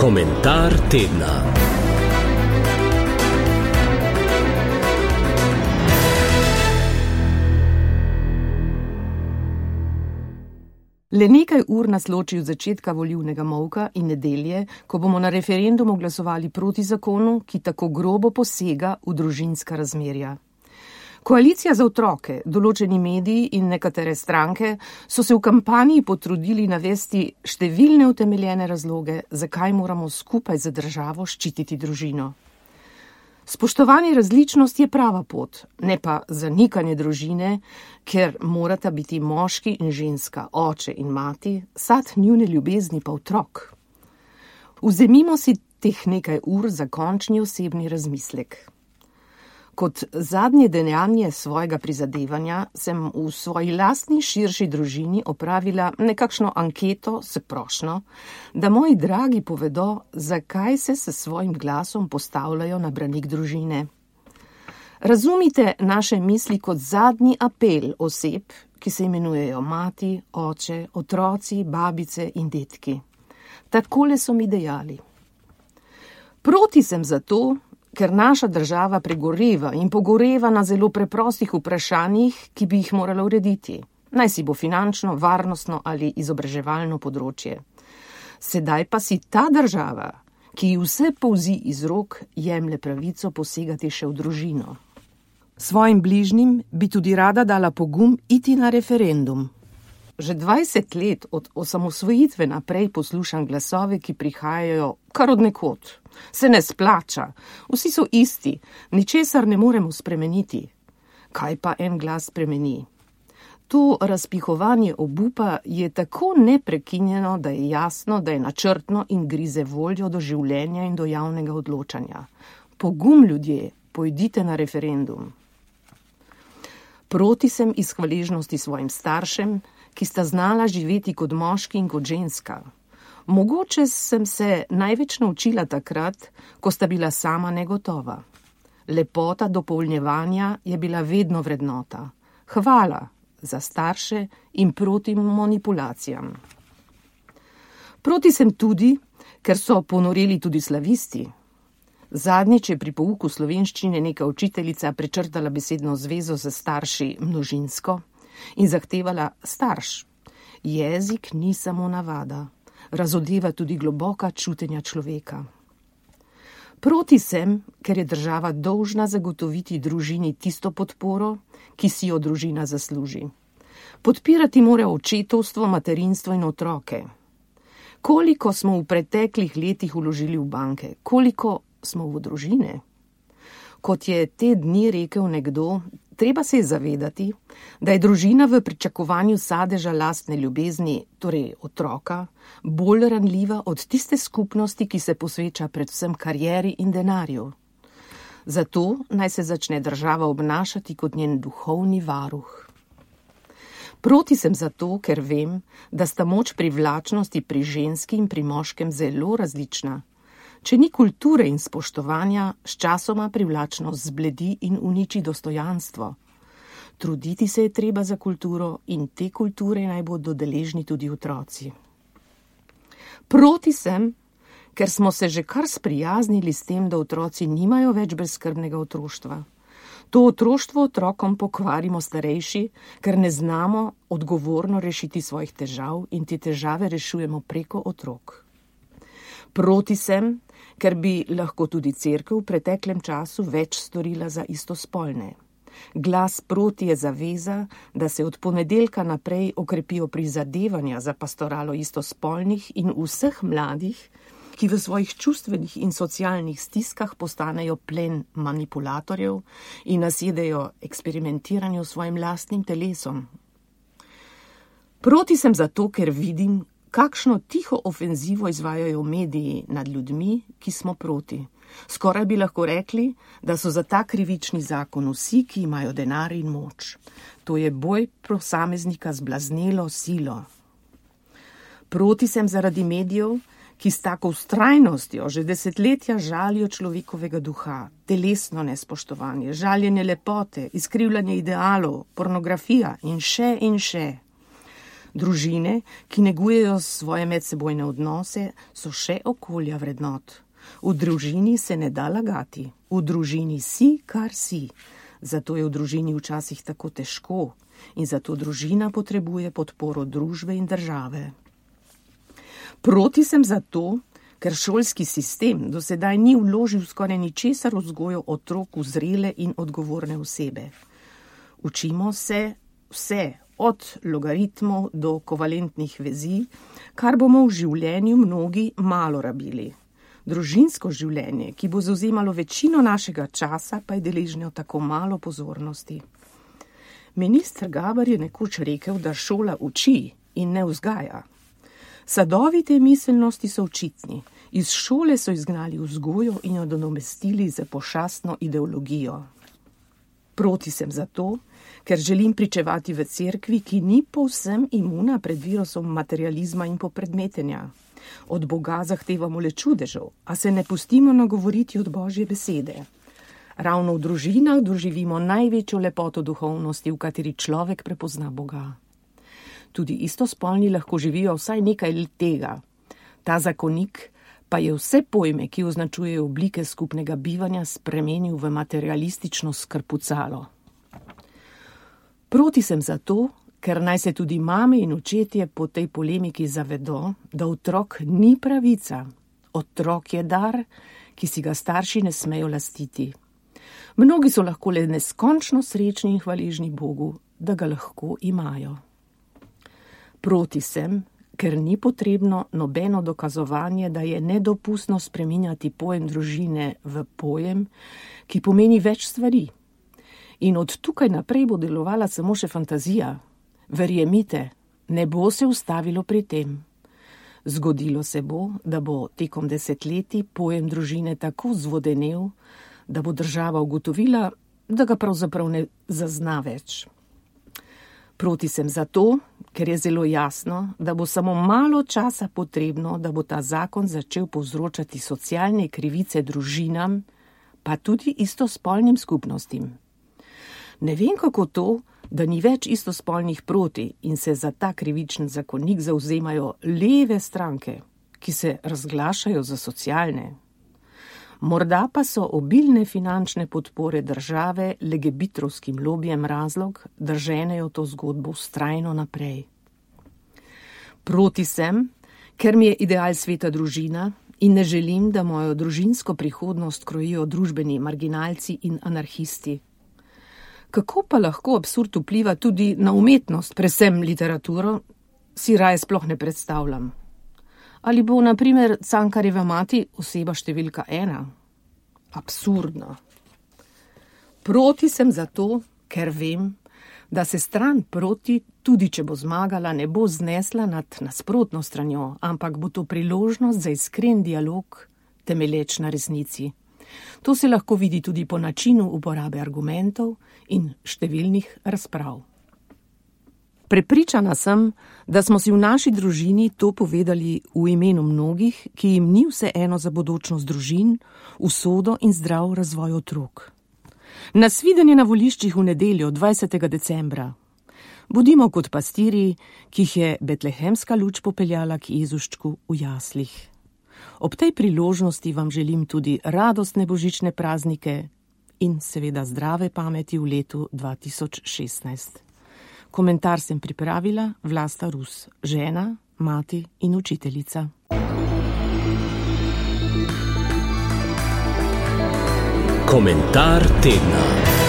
Komentar tedna. Le nekaj ur nas loči od začetka volilnega molka in nedelje, ko bomo na referendumu glasovali proti zakonu, ki tako grobo posega v družinska razmerja. Koalicija za otroke, določeni mediji in nekatere stranke so se v kampanji potrudili navesti številne utemeljene razloge, zakaj moramo skupaj za državo ščititi družino. Spoštovanje različnosti je prava pot, ne pa zanikanje družine, ker morata biti moški in ženska, oče in mati, sad njune ljubezni pa otrok. Vzemimo si teh nekaj ur za končni osebni razmislek. Kot zadnje dejanje svojega prizadevanja sem v svoji lastni širši družini opravila nekakšno anketo s prošnjo, da moji dragi povedo, zakaj se s svojim glasom postavljajo na branik družine. Razumite naše misli kot zadnji apel oseb, ki se imenujejo mati, oče, otroci, babice in detki. Takole so mi dejali. Proti sem zato, ker naša država pregoreva in pogoreva na zelo preprostih vprašanjih, ki bi jih morala urediti. Naj si bo finančno, varnostno ali izobraževalno področje. Sedaj pa si ta država, ki ji vse polzi iz rok, jemlje pravico posegati še v družino. Svojim bližnjim bi tudi rada dala pogum iti na referendum. Že 20 let od osamosvojitve naprej poslušam glasove, ki prihajajo kar od nekod. Se ne splača, vsi so isti, ničesar ne moremo spremeniti. Kaj pa en glas spremeni? To razpihovanje obupa je tako neprekinjeno, da je jasno, da je načrtno in grize voljo do življenja in do javnega odločanja. Pogum, ljudje, pojdite na referendum. Proti sem iz hvaležnosti svojim staršem, ki sta znala živeti kot moški in kot ženska. Mogoče sem se največ naučila takrat, ko sta bila sama negotova. Lepota dopolnjevanja je bila vedno vrednota. Hvala za starše in proti manipulacijam. Proti sem tudi, ker so ponoreli tudi slavisti. Zadnjič je pri pouku slovenščine neka učiteljica prečrtala besedno zvezo za starši množinsko in zahtevala starš. Jezik ni samo navada, razodeva tudi globoka čutenja človeka. Proti sem, ker je država dolžna zagotoviti družini tisto podporo, ki si jo družina zasluži. Podpirati mora očetovstvo, materinstvo in otroke. Koliko smo v preteklih letih vložili v banke, koliko smo v družine? Kot je te dni rekel nekdo, treba se je zavedati, da je družina v pričakovanju sadeža lastne ljubezni, torej otroka, bolj ranljiva od tiste skupnosti, ki se posveča predvsem karieri in denarju. Zato naj se začne država obnašati kot njen duhovni varuh. Proti sem zato, ker vem, da sta moč privlačnosti pri ženski in pri moškem zelo različna. Če ni kulture in spoštovanja, sčasoma privlačnost zbledi in uniči dostojanstvo. Truditi se je treba za kulturo in te kulture naj bodo deležni tudi otroci. Proti sem, ker smo se že kar sprijaznili s tem, da otroci nimajo več brezskrbnega otroštva. To otroštvo otrokom pokvarimo starejši, ker ne znamo odgovorno rešiti svojih težav in te težave rešujemo preko otrok. Proti sem, ker bi lahko tudi cerkev v preteklem času več storila za istospolne. Glas proti je zaveza, da se od ponedeljka naprej okrepijo prizadevanja za pastoralo istospolnih in vseh mladih, ki v svojih čustvenih in socialnih stiskah postanejo plen manipulatorjev in nasjedejo eksperimentiranju s svojim lastnim telesom. Proti sem zato, ker vidim, kakšno tiho ofenzivo izvajajo mediji nad ljudmi, ki smo proti. Skoraj bi lahko rekli, da so za ta krivični zakon vsi, ki imajo denar in moč. To je boj posameznika z blaznelo silo. Proti sem zaradi medijev, ki s tako vztrajnostjo že desetletja žalijo človekovega duha, telesno nespoštovanje, žaljenje lepote, izkrivljanje idealov, pornografija in še in še. Družine, ki negujejo svoje medsebojne odnose, so še okolja vrednot. V družini se ne da lagati. V družini si, kar si. Zato je v družini včasih tako težko in zato družina potrebuje podporo družbe in države. Proti sem zato, ker šolski sistem do sedaj ni vložil skoraj ničesar v vzgojo otrok v zrele in odgovorne osebe. Učimo se vse, od logaritmov do kovalentnih vezi, kar bomo v življenju mnogi malo rabili. Družinsko življenje, ki bo zavzemalo večino našega časa, pa je deležno tako malo pozornosti. Minister Gaber je nekoč rekel, da šola uči in ne vzgaja. Sadovi te miselnosti so očitni. Iz šole so izgnali vzgojo in jo nadomestili z pošastno ideologijo. Proti sem zato, ker želim pričevati v cerkvi, ki ni povsem imuna pred virusom materializma in popredmetenja. Od Boga zahtevamo le čudežev, a se ne pustimo nagovoriti od Božje besede. Ravno v družinah doživimo največjo lepoto duhovnosti, v kateri človek prepozna Boga. Tudi istospolni lahko živijo vsaj nekaj let tega. Ta zakonik pa je vse pojme, ki označujejo oblike skupnega bivanja, spremenil v materialistično skrpucalo. Proti sem zato, ker naj se tudi mame in očetje po tej polemiki zavedo, da otrok ni pravica. Otrok je dar, ki si ga starši ne smejo lastiti. Mnogi so lahko le neskončno srečni in hvaležni Bogu, da ga lahko imajo. Proti sem, ker ni potrebno nobeno dokazovanje, da je nedopustno spreminjati pojem družine v pojem, ki pomeni več stvari. In od tukaj naprej bo delovala samo še fantazija. Verjemite, ne bo se ustavilo pri tem. Zgodilo se bo, da bo tekom desetletij pojem družine tako zvodenel, da bo država ugotovila, da ga pravzaprav ne zazna več. Proti sem zato, ker je zelo jasno, da bo samo malo časa potrebno, da bo ta zakon začel povzročati socialne krivice družinam, pa tudi istospolnim skupnostim. Ne vem, kako to, da ni več istospolnih proti in se za ta krivičen zakonik zavzemajo leve stranke, ki se razglašajo za socialne. Morda pa so obilne finančne podpore države legebitrovskim lobijem razlog, da ženejo to zgodbo vztrajno naprej. Proti sem, ker mi je ideal sveta družina in ne želim, da mojo družinsko prihodnost krojijo družbeni marginalci in anarhisti. Kako pa lahko absurd vpliva tudi na umetnost, predvsem literaturo, si raje sploh ne predstavljam. Ali bo, na primer, Cankarjeva mati oseba številka 1? Absurdno. Proti sem zato, ker vem, da se stran proti, tudi če bo zmagala, ne bo znesla nad nasprotno stranjo, ampak bo to priložnost za iskren dialog, temelječ na resnici. To se lahko vidi tudi po načinu uporabe argumentov in številnih razprav. Prepričana sem, da smo si v naši družini to povedali v imenu mnogih, ki jim ni vseeno za bodočnost družin, usodo in zdrav razvoj otrok. Nasvidenje na voliščih v nedeljo 20. decembra. Bodimo kot pastirji, ki jih je betlehemska luč popeljala k Jezuščku v jaslih. Ob tej priložnosti vam želim tudi radostne božične praznike in seveda zdrave pameti v letu 2016. Komentar sem pripravila Vlasta Rus, žena, mati in učiteljica. Komentar tedna.